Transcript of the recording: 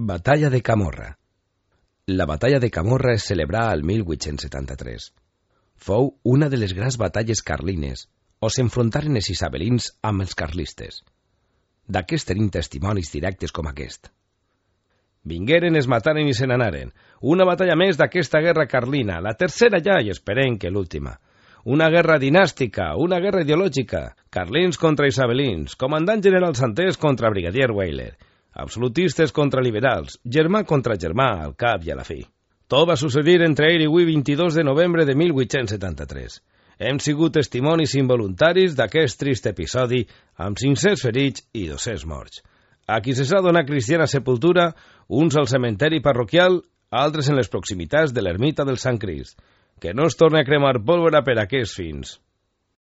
Batalla de Camorra. La batalla de Camorra es celebrà al 1873. Fou una de les grans batalles carlines, on s'enfrontaren els isabelins amb els carlistes. D'aquest tenim testimonis directes com aquest. Vingueren, es mataren i se n'anaren. Una batalla més d'aquesta guerra carlina, la tercera ja i esperem que l'última. Una guerra dinàstica, una guerra ideològica, carlins contra isabelins, comandant general Santés contra brigadier Weyler, absolutistes contra liberals, germà contra germà, al cap i a la fi. Tot va succeir entre ahir i avui 22 de novembre de 1873. Hem sigut testimonis involuntaris d'aquest trist episodi amb 500 ferits i 200 morts. A qui se s'ha donat cristiana sepultura, uns al cementeri parroquial, altres en les proximitats de l'ermita del Sant Crist. Que no es torni a cremar pólvora per aquests fins.